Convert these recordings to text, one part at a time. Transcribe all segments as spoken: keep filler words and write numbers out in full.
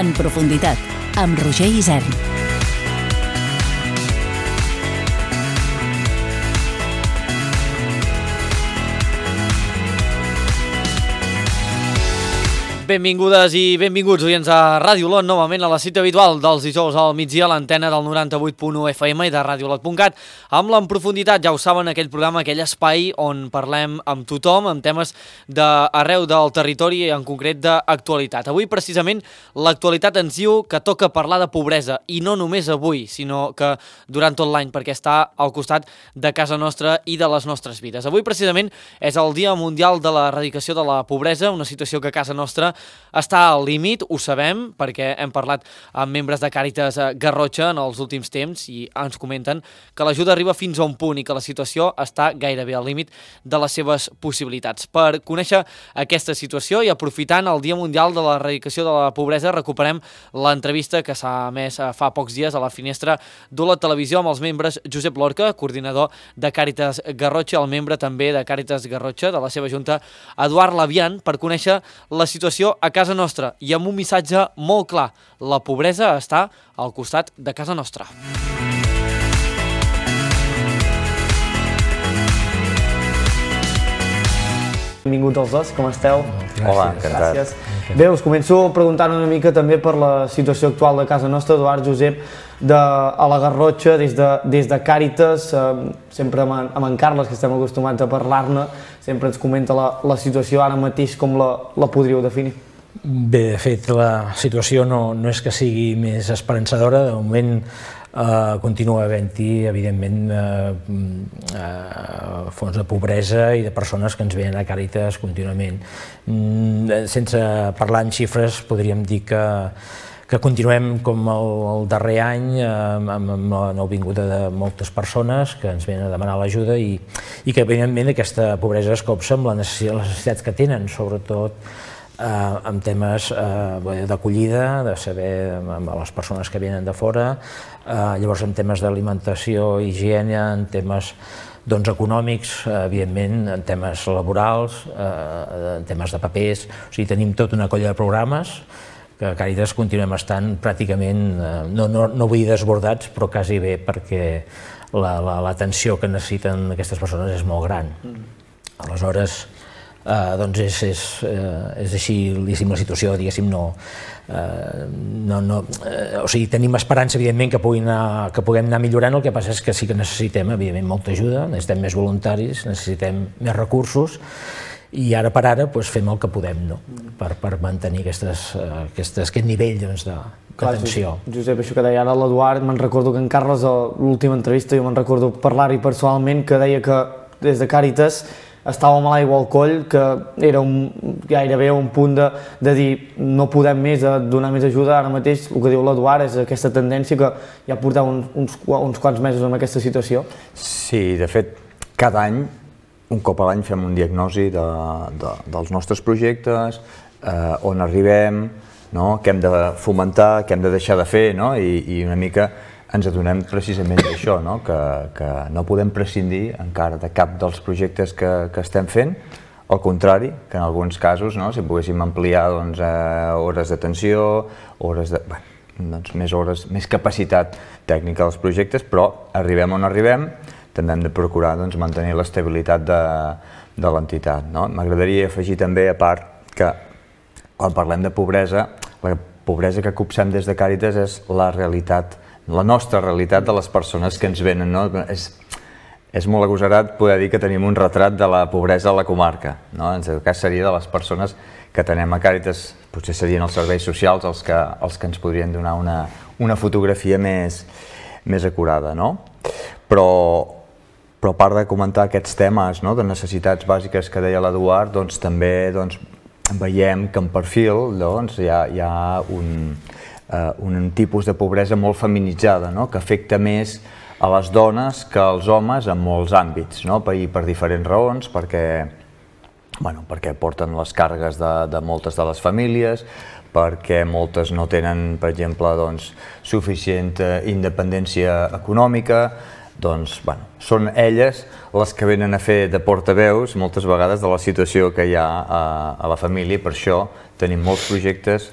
En profunditat, amb Roger Isern. Benvingudes i benvinguts, oients, a Ràdio Olot, novament a la cita habitual dels dijous al migdia, a l'antena del noranta-vuit punt u F M i de ràdio olot punt cat, amb l'En Profunditat, ja ho saben, aquell programa, aquell espai on parlem amb tothom, amb temes d'arreu del territori, en concret d'actualitat. Avui, precisament, l'actualitat ens diu que toca parlar de pobresa, i no només avui, sinó que durant tot l'any, perquè està al costat de casa nostra i de les nostres vides. Avui, precisament, és el Dia Mundial de l'Erradicació de la Pobresa, una situació que a casa nostra està al límit, ho sabem, perquè hem parlat amb membres de Càritas Garrotxa en els últims temps i ens comenten que l'ajuda arriba fins a un punt i que la situació està gairebé al límit de les seves possibilitats. Per conèixer aquesta situació i aprofitant el Dia Mundial de l'Erradicació de la Pobresa, recuperem l'entrevista que s'ha emès fa pocs dies a la finestra d'Olot Televisió amb els membres Josep Lorca, coordinador de Càritas Garrotxa, el membre també de Càritas Garrotxa, de la seva junta, Eduard Labian, per conèixer la situació a casa nostra i amb un missatge molt clar: la pobresa està al costat de casa nostra. Benvinguts els dos, com esteu? Hola, encantat. Gràcies. Bé, us començo preguntant una mica també per la situació actual de casa nostra. Eduard, Josep, de, a la Garrotxa, des de, des de Càritas, eh, sempre amb, amb en Carles, que estem acostumats a parlar-ne, sempre ens comenta la, la situació ara mateix, com la, la podríeu definir? Bé, de fet, la situació no, no és que sigui més esperançadora. De moment eh, continua havent-hi, evidentment, eh, eh, fons de pobresa i de persones que ens venen a Càritas contínuament. Mm, sense parlar en xifres, podríem dir que que continuem com el, el darrer any amb, amb la nouvinguda de moltes persones que ens venen a demanar l'ajuda i, i que evidentment aquesta pobresa es copsa amb les necessitats que tenen, sobretot eh, amb temes eh, d'acollida, de saber amb les persones que venen de fora, eh, llavors en temes d'alimentació, higiene, en temes doncs, econòmics, evidentment, en temes laborals, eh, en temes de papers, o sigui, tenim tota una colla de programes que a Càritas continuem estant pràcticament, no, no, no vull dir desbordats, però quasi bé, perquè l'atenció que necessiten aquestes persones és molt gran. Aleshores, eh, doncs és, és, eh, és així, diguéssim, la situació, diguéssim, no, eh, no, no eh, o sigui, tenim esperança, evidentment, que, puguin anar, que puguem anar millorant. El que passa és que sí que necessitem, evidentment, molta ajuda, necessitem més voluntaris, necessitem més recursos, i ara per ara doncs, fem el que podem, no? per, per mantenir aquestes, aquestes, aquest nivell doncs, d'atenció. Josep, això que deia ara l'Eduard, me'n recordo que en Carles, a l'última entrevista, jo me'n recordo parlar-hi personalment, que deia que des de Càritas estava amb l'aigua al coll, que era un, gairebé un punt de, de dir no podem més, de donar més ajuda. Ara mateix el que diu l'Eduard és aquesta tendència que ja porteu uns, uns, uns quants mesos en aquesta situació. Sí, de fet, cada any un cop a l'any fem un diagnosi de, de, dels nostres projectes, eh, on arribem, no? Què hem de fomentar, què hem de deixar de fer, no? I, i una mica ens adonem precisament d'això, no? que, que no podem prescindir encara de cap dels projectes que, que estem fent, al contrari, que en alguns casos, no? Si poguéssim ampliar doncs, eh, hores d'atenció, hores de, bueno, doncs, més hores, més capacitat tècnica dels projectes, però arribem on arribem, també hem de procurar doncs, mantenir l'estabilitat de, de l'entitat. No? M'agradaria afegir també, a part, que quan parlem de pobresa, la pobresa que copsem des de Càritas és la realitat, la nostra realitat de les persones que ens venen. No? És, és molt agosarat poder dir que tenim un retrat de la pobresa a la comarca. No? En aquest cas seria de les persones que tenem a Càritas, potser serien els serveis socials els que, els que ens podrien donar una, una fotografia més, més acurada. No? Però Però a part de comentar aquests temes, no, de necessitats bàsiques que deia l'Eduard, doncs, també doncs, veiem que en perfil doncs, hi ha, hi ha un, uh, un tipus de pobresa molt feminitzada, no, que afecta més a les dones que als homes en molts àmbits, no, per, per diferents raons, perquè, bueno, perquè porten les càrregues de, de moltes de les famílies, perquè moltes no tenen, per exemple, doncs, suficient independència econòmica. Doncs, bueno, són elles les que venen a fer de portaveus moltes vegades de la situació que hi ha a, a la família, i per això tenim molts projectes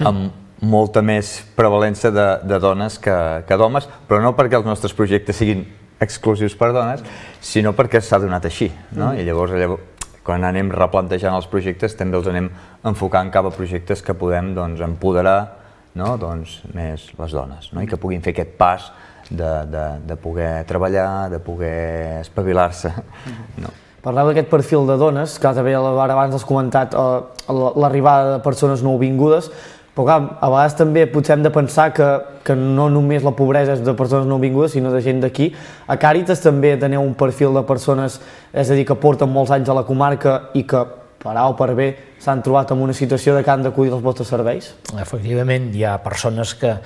amb molta més prevalença de, de dones que, que d'homes, però no perquè els nostres projectes siguin exclusius per dones, sinó perquè s'ha donat així, no? I llavors, llavors, quan anem replantejant els projectes, també els anem enfocant cap a projectes que podem doncs, empoderar, no? doncs, més les dones, no? I que puguin fer aquest pas de, de, de poder treballar, de poder espavilar-se. No? Parleu d'aquest perfil de dones, que també abans has comentat eh, l'arribada de persones nouvingudes, però clar, a vegades també potser hem de pensar que, que no només la pobresa és de persones nouvingudes, sinó de gent d'aquí. A Càritas també teniu un perfil de persones, és a dir, que porten molts anys a la comarca i que, per A o per B, s'han trobat en una situació de que han d'acudir als vostres serveis? Efectivament, hi ha persones que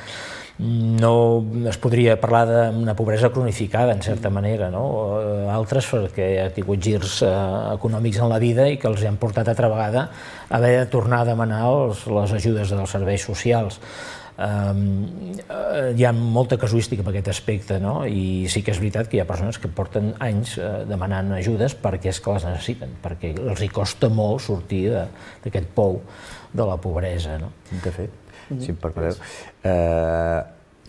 no es podria parlar d'una pobresa cronificada, en certa manera, no? Altres perquè ha tingut girs eh, econòmics en la vida i que els han portat altra vegada a haver de tornar a demanar els, les ajudes dels serveis socials. Um, hi ha molta casuística en aquest aspecte, no? I sí que és veritat que hi ha persones que porten anys eh, demanant ajudes perquè és que les necessiten, perquè els hi costa molt sortir d'aquest pou de la pobresa, no? De fet, si em permeteu, eh,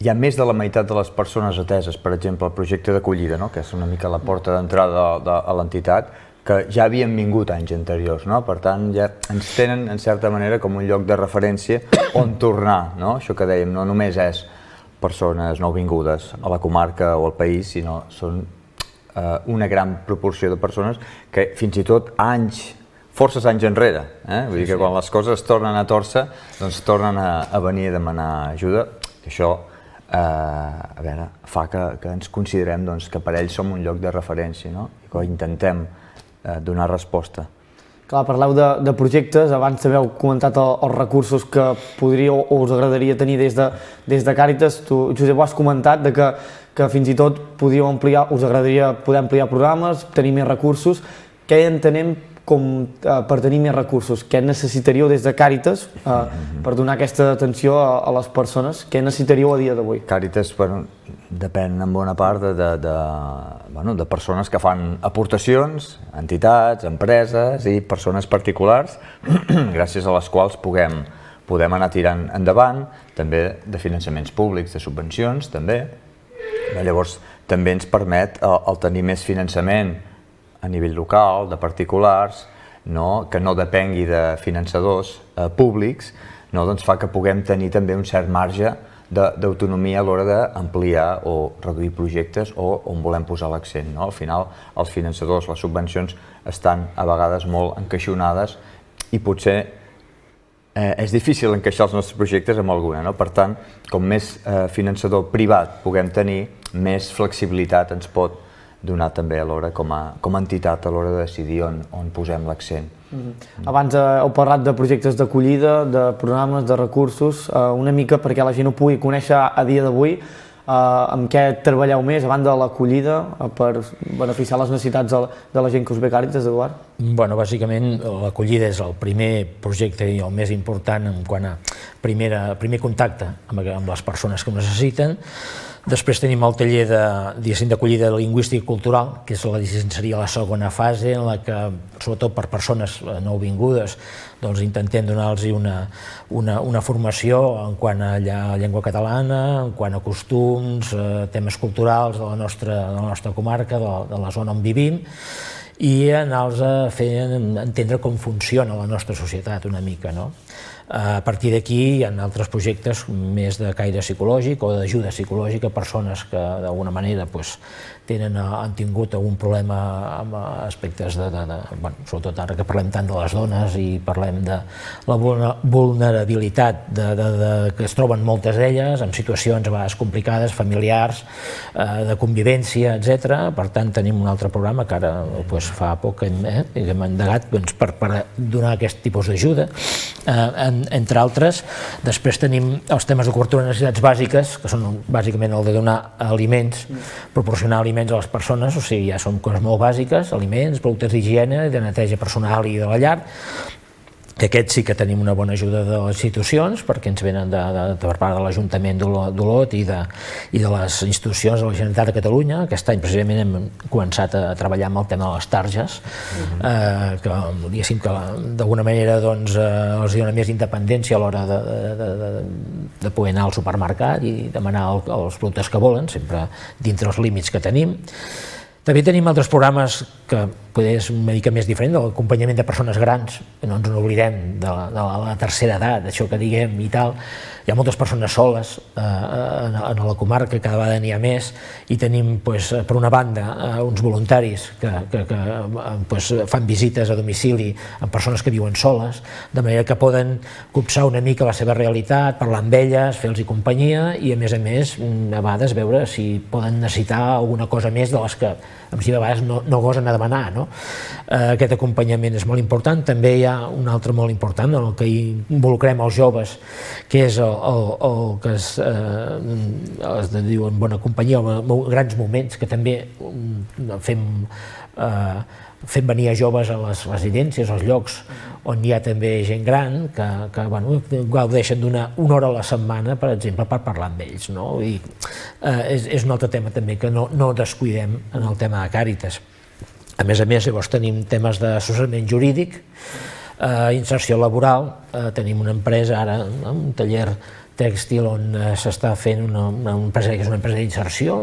hi ha més de la meitat de les persones ateses, per exemple, al projecte d'acollida, no? Que és una mica la porta d'entrada de, de, a l'entitat, que ja havien vingut anys anteriors, no? Per tant, ja ens tenen, en certa manera, com un lloc de referència on tornar, no? Això que dèiem, no només és persones nouvingudes a la comarca o al país, sinó són eh, una gran proporció de persones que fins i tot anys, forces anys enrere, eh? Vull dir que quan les coses tornen a tòrcer, doncs tornen a, a venir a demanar ajuda. Això eh, a veure, fa que, que ens considerem doncs, que per ells som un lloc de referència, no? I que intentem eh, donar resposta. Clar, parleu de, de projectes, abans també heu comentat el, els recursos que podríeu o us agradaria tenir des de, des de Càritas. Tu, Josep, ho has comentat, de que, que fins i tot podíeu ampliar, us agradaria poder ampliar programes, tenir més recursos. Què entenem com eh, per tenir més recursos? Què necessitaríeu des de Càritas eh, mm-hmm. per donar aquesta atenció a, a les persones? Què necessitaríeu a dia d'avui? Càritas, bueno, depèn en bona part de, de, de, bueno, de persones que fan aportacions, entitats, empreses i persones particulars, gràcies a les quals puguem, podem anar tirant endavant, també de finançaments públics, de subvencions, també. Llavors, també ens permet el, el tenir més finançament a nivell local, de particulars, no? Que no depengui de finançadors eh, públics, no? Doncs fa que puguem tenir també un cert marge d'autonomia a l'hora d'ampliar o reduir projectes o on volem posar l'accent, no? Al final, els finançadors, les subvencions, estan a vegades molt encaixonades i potser eh, és difícil encaixar els nostres projectes amb alguna, no? Per tant, com més eh, finançador privat puguem tenir, més flexibilitat ens pot donar també a l'hora com, com a entitat a l'hora de decidir on, on posem l'accent. Mm-hmm. Abans eh, heu parlat de projectes d'acollida, de programes, de recursos, eh, una mica perquè la gent ho pugui conèixer a dia d'avui, eh, amb què treballeu més, a banda de l'acollida, eh, per beneficiar les necessitats de, de la gent que us ve Càritas, Eduard? Bueno, bàsicament l'acollida és el primer projecte i el més important en quant a primera, primer contacte amb, amb les persones que ho necessiten. Després tenim el taller d'acollida lingüística i cultural, que és la, seria la segona fase, en la que, sobretot per persones nouvingudes, doncs intentem donar-los una, una, una formació en quant a llengua catalana, en quant a costums, eh, temes culturals de la nostra, de la nostra comarca, de la, de la zona on vivim, i anar-los a fer entendre com funciona la nostra societat una mica, no? A partir d'aquí hi ha altres projectes més de caire psicològic o d'ajuda psicològica a persones que d'alguna manera pues, tenen, han tingut algun problema amb aspectes de, de, de bueno, sobretot ara que parlem tant de les dones i parlem de la vulnerabilitat de, de, de, que es troben moltes d'elles en situacions a vegades complicades, familiars, eh, de convivència, etcètera. Per tant, tenim un altre programa que ara pues, fa poc que hem, eh, hem endegat doncs, per, per donar aquest tipus d'ajuda. Eh, en, entre altres, després tenim els temes de cobertura de necessitats bàsiques, que són bàsicament el de donar aliments, proporcionar aliments a les persones, o sigui, ja són coses molt bàsiques, aliments, productes d'higiene, de neteja personal i de la llar, que aquests sí que tenim una bona ajuda de les institucions, perquè ens venen de, de, de per part de l'Ajuntament d'Olot i, de, i de les institucions de la Generalitat de Catalunya. Aquest any precisament hem començat a treballar amb el tema de les targes, uh-huh. eh, que diguéssim que d'alguna manera doncs, eh, els dona més independència a l'hora de, de, de, de poder anar al supermercat i demanar el, els productes que volen, sempre dintre els límits que tenim. També tenim altres programes que poder és una mica més diferent, de l'acompanyament de persones grans, que no ens n'oblidem de, la, de la tercera edat, això que diguem i tal. Hi ha moltes persones soles eh, en, en la comarca, cada vegada n'hi ha més, i tenim, pues, per una banda, eh, uns voluntaris que, que, que pues, fan visites a domicili amb persones que viuen soles, de manera que poden copsar una mica la seva realitat, parlar amb elles, fer-los companyia i, a més a més, a vegades veure si poden necessitar alguna cosa més de les que si a vegades no, no gosen a demanar, no? Eh, aquest acompanyament és molt important. També hi ha un altre molt important en el que involucrem els joves, que és el, el, el que es, eh, es diu en bona companyia, grans moments, que també fem, eh, fem venir a joves a les residències, als llocs on hi ha també gent gran que, que bueno, gaudeixen d'una una hora a la setmana, per exemple, per parlar amb ells, no? I, eh, és, és un altre tema també que no, no descuidem en el tema de Càritas. A més a més, llavors tenim temes d'assessorament jurídic, eh, inserció laboral, eh, tenim una empresa ara, un taller tèxtil on eh, s'està fent una, una empresa que és una empresa d'inserció,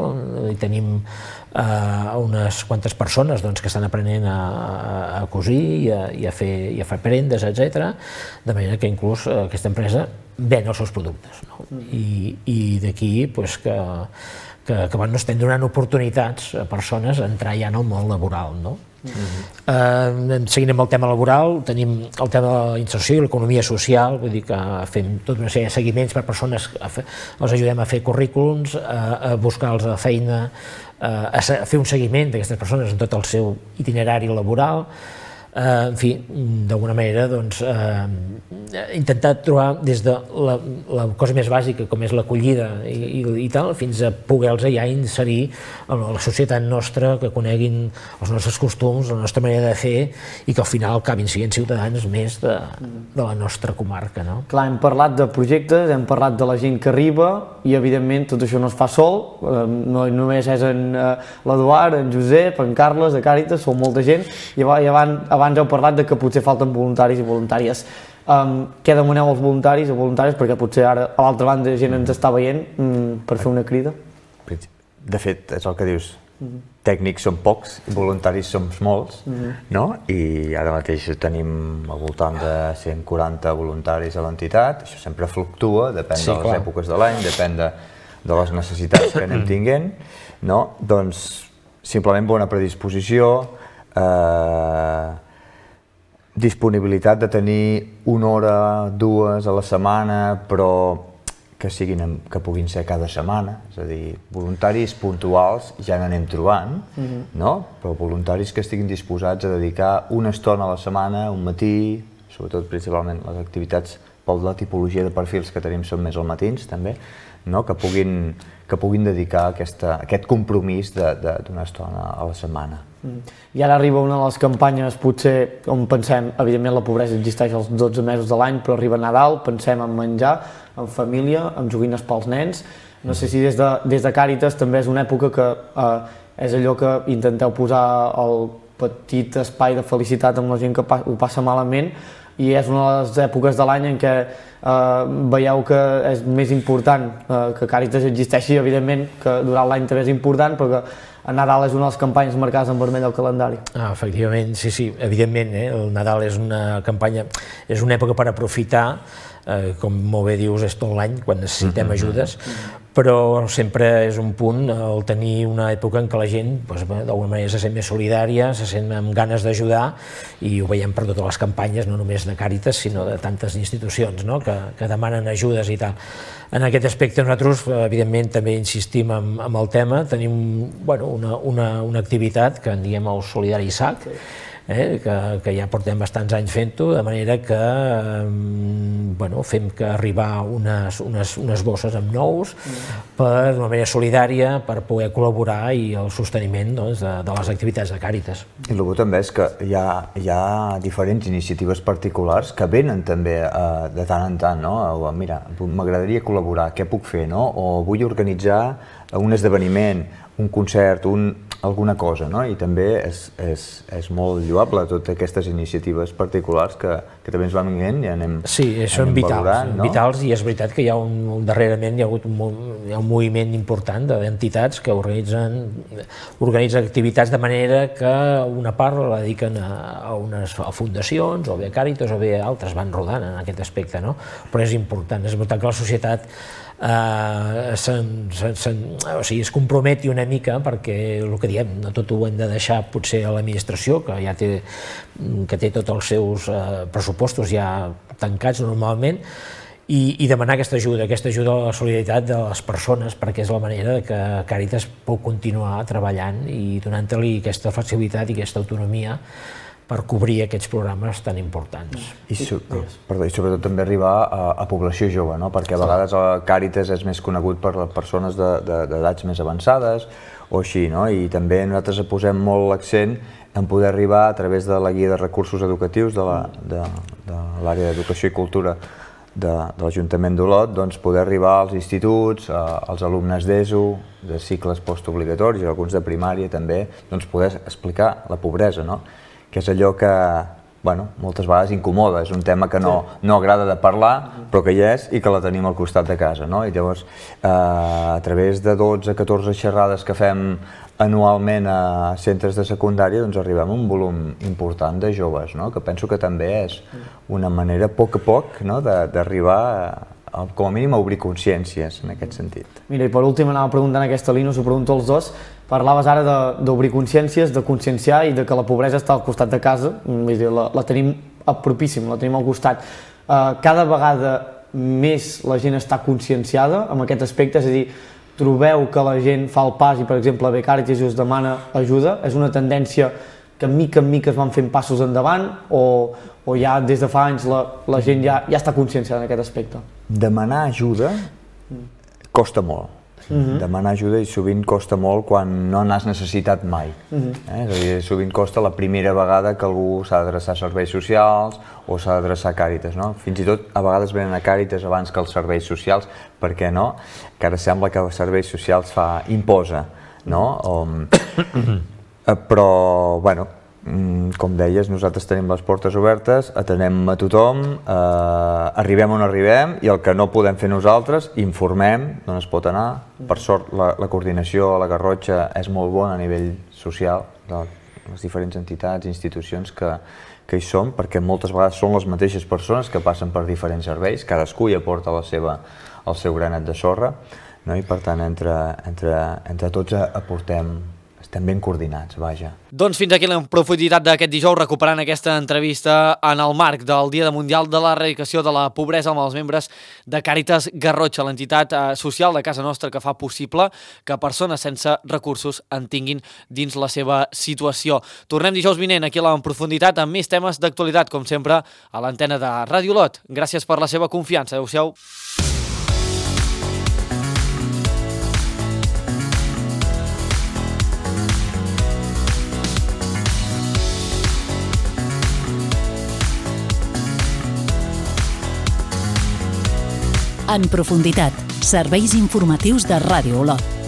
i tenim eh, unes quantes persones doncs, que estan aprenent a, a cosir i a, i a, fer, i a fer prendes, etcètera, de manera que inclús eh, aquesta empresa ven els seus productes, no? I, i d'aquí pues, que, que, que bueno, estem donant oportunitats a persones a entrar ja en el món laboral, no? Uh-huh. eh, seguint amb el tema laboral, tenim el tema de la inserció i l'economia social, vull dir que fem tota una sèrie de seguiments per persones, fer, els ajudem a fer currículums, a, a buscar-los a feina, a, a fer un seguiment d'aquestes persones en tot el seu itinerari laboral. Eh, en fi, d'alguna manera doncs, eh, intentar trobar des de la, la cosa més bàsica com és l'acollida i, i, i tal, fins a poder-los ja inserir a la societat nostra, que coneguin els nostres costums, la nostra manera de fer i que al final acabin sent ciutadans més de, de la nostra comarca, no? Clar, hem parlat de projectes, hem parlat de la gent que arriba i evidentment tot això no es fa sol, eh, no només és en eh, l'Eduard, en Josep, en Carles, de Càritas, som molta gent i abans, abans heu parlat de que potser falten voluntaris i voluntàries. Um, què demaneu als voluntaris o voluntàries? Perquè potser ara a l'altra banda gent ens està veient um, per fer una crida. De fet, és el que dius, mm-hmm. tècnics són pocs i voluntaris som molts, mm-hmm. no? I ara mateix tenim al voltant de cent quaranta voluntaris a l'entitat, això sempre fluctua, depèn sí, de les clar. èpoques de l'any, depèn de, de les necessitats que anem tinguent, no? Doncs simplement bona predisposició, eh, disponibilitat de tenir una hora, dues a la setmana, però que, siguin, que puguin ser cada setmana, és a dir, voluntaris puntuals ja n'anem trobant, mm-hmm. no? Però voluntaris que estiguin disposats a dedicar una estona a la setmana, un matí, sobretot principalment les activitats per la tipologia de perfils que tenim són més als matins també, no? que, puguin, que puguin dedicar aquesta, aquest compromís d'una estona a la setmana. Mm. I ara arriba una de les campanyes, potser, on pensem, evidentment la pobresa existeix els dotze mesos de l'any, però arriba Nadal, pensem en menjar, en família, en joguines pels nens. No sé si des de, des de Càritas també és una època que eh, és allò que intenteu posar el petit espai de felicitat amb la gent que pa ho passa malament, i és una de les èpoques de l'any en què eh, veieu que és més important eh, que Càritas existeixi, evidentment que durant l'any també és important, perquè a Nadal és una de les campanyes marcades en vermell al calendari. Ah, efectivament, sí, sí, evidentment, eh? El Nadal és una campanya, és una època per aprofitar, eh, com molt bé dius, és tot l'any, quan necessitem mm-hmm. ajudes, però sempre és un punt el tenir una època en què la gent doncs, d'alguna manera se sent més solidària, se sent amb ganes d'ajudar, i ho veiem per totes les campanyes, no només de Càritas, sinó de tantes institucions, no? que, que demanen ajudes i tal. En aquest aspecte nosaltres, evidentment, també insistim en, en el tema, tenim bueno, una, una, una activitat que en diem el Solidari S A C, eh, que, que ja portem bastants anys fent-ho, de manera que eh, bueno, fem que arribar unes, unes, unes bosses amb nous per d'una manera solidària per poder col·laborar i el sosteniment doncs, de, de les activitats de Càritas. I el bo també és que hi ha, hi ha diferents iniciatives particulars que venen també eh, de tant en tant, no? O, mira, m'agradaria col·laborar, què puc fer, no? O vull organitzar un esdeveniment, un concert, un, alguna cosa, no? I també és, és, és molt lloable totes aquestes iniciatives particulars que, que també ens van venint i anem Sí, són vitals, valorant, no? vitals i és veritat que hi ha un, un darrerament hi ha hagut un, hi ha un moviment important d'entitats que organitzen, organitzen activitats de manera que una part la dediquen a, a unes a fundacions o bé a Càritas o bé a altres, van rodant en aquest aspecte, no? Però és important, és important que la societat Uh, sen, sen, sen, o sigui, es comprometi una mica perquè el que diem, no tot ho hem de deixar potser a l'administració que ja té, que té tots els seus uh, pressupostos ja tancats normalment i, i demanar aquesta ajuda, aquesta ajuda a la solidaritat de les persones perquè és la manera que Càritas pot continuar treballant i donant-li aquesta flexibilitat i aquesta autonomia per cobrir aquests programes tan importants. I, so, perdó, i sobretot també arribar a, a població jove, no? Perquè a vegades el Càritas és més conegut per les persones d'edats de, de, més avançades o així, no? I també nosaltres posem molt l'accent en poder arribar a través de la guia de recursos educatius de l'àrea d'educació i cultura de, de l'Ajuntament d'Olot, doncs poder arribar als instituts, a, als alumnes d'ESO, de cicles postobligatoris, alguns de primària també, doncs poder explicar la pobresa, no? Que és allò que, bueno, moltes vegades incomoda, és un tema que no, no agrada de parlar, però que hi és i que la tenim al costat de casa, no? I llavors, eh, a través de dotze a catorze xerrades que fem anualment a centres de secundària, doncs arribem a un volum important de joves, no? Que penso que també és una manera, a poc a poc, no? d'arribar a, com a mínim, a obrir consciències en aquest sentit. Mira, i per últim anava preguntant aquesta línia, us ho pregunto als dos. Parlaves ara d'obrir consciències, de conscienciar i de que la pobresa està al costat de casa, vull dir, la, la tenim propíssima, la tenim al costat. Uh, cada vegada més la gent està conscienciada en aquest aspecte, és a dir, trobeu que la gent fa el pas i, per exemple, bé, Càritas us demana ajuda, és una tendència que mica en mica es van fent passos endavant o, o ja des de fa anys la, la gent ja, ja està conscienciada en aquest aspecte? Demanar ajuda costa molt. Uh-huh. Demanar ajuda i sovint costa molt quan no n'has necessitat mai. Uh-huh. eh? És a dir, sovint costa la primera vegada que algú s'ha d'adreçar a serveis socials o s'ha d'adreçar a Càritas, no? Fins i tot a vegades venen a Càritas abans que els serveis socials, per què no? Que ara sembla que els serveis socials fa imposa, no? O, però, bueno, com deies, nosaltres tenim les portes obertes, atenem a tothom, eh, arribem on arribem i el que no podem fer nosaltres, informem d'on es pot anar. Per sort, la, la coordinació a la Garrotxa és molt bona a nivell social de les diferents entitats i institucions que, que hi som, perquè moltes vegades són les mateixes persones que passen per diferents serveis, cadascú hi aporta la seva, el seu granet de sorra, no? I per tant entre, entre, entre tots aportem, estem ben coordinats, vaja. Doncs fins aquí la profunditat d'aquest dijous, recuperant aquesta entrevista en el marc del Dia Mundial de l'Erradicació de la Pobresa amb els membres de Càritas Garrotxa, l'entitat social de casa nostra que fa possible que persones sense recursos en tinguin dins la seva situació. Tornem dijous vinent aquí a la profunditat amb més temes d'actualitat, com sempre, a l'antena de Ràdio Olot. Gràcies per la seva confiança. Adéu-siau. En profunditat, serveis informatius de Ràdio Olot.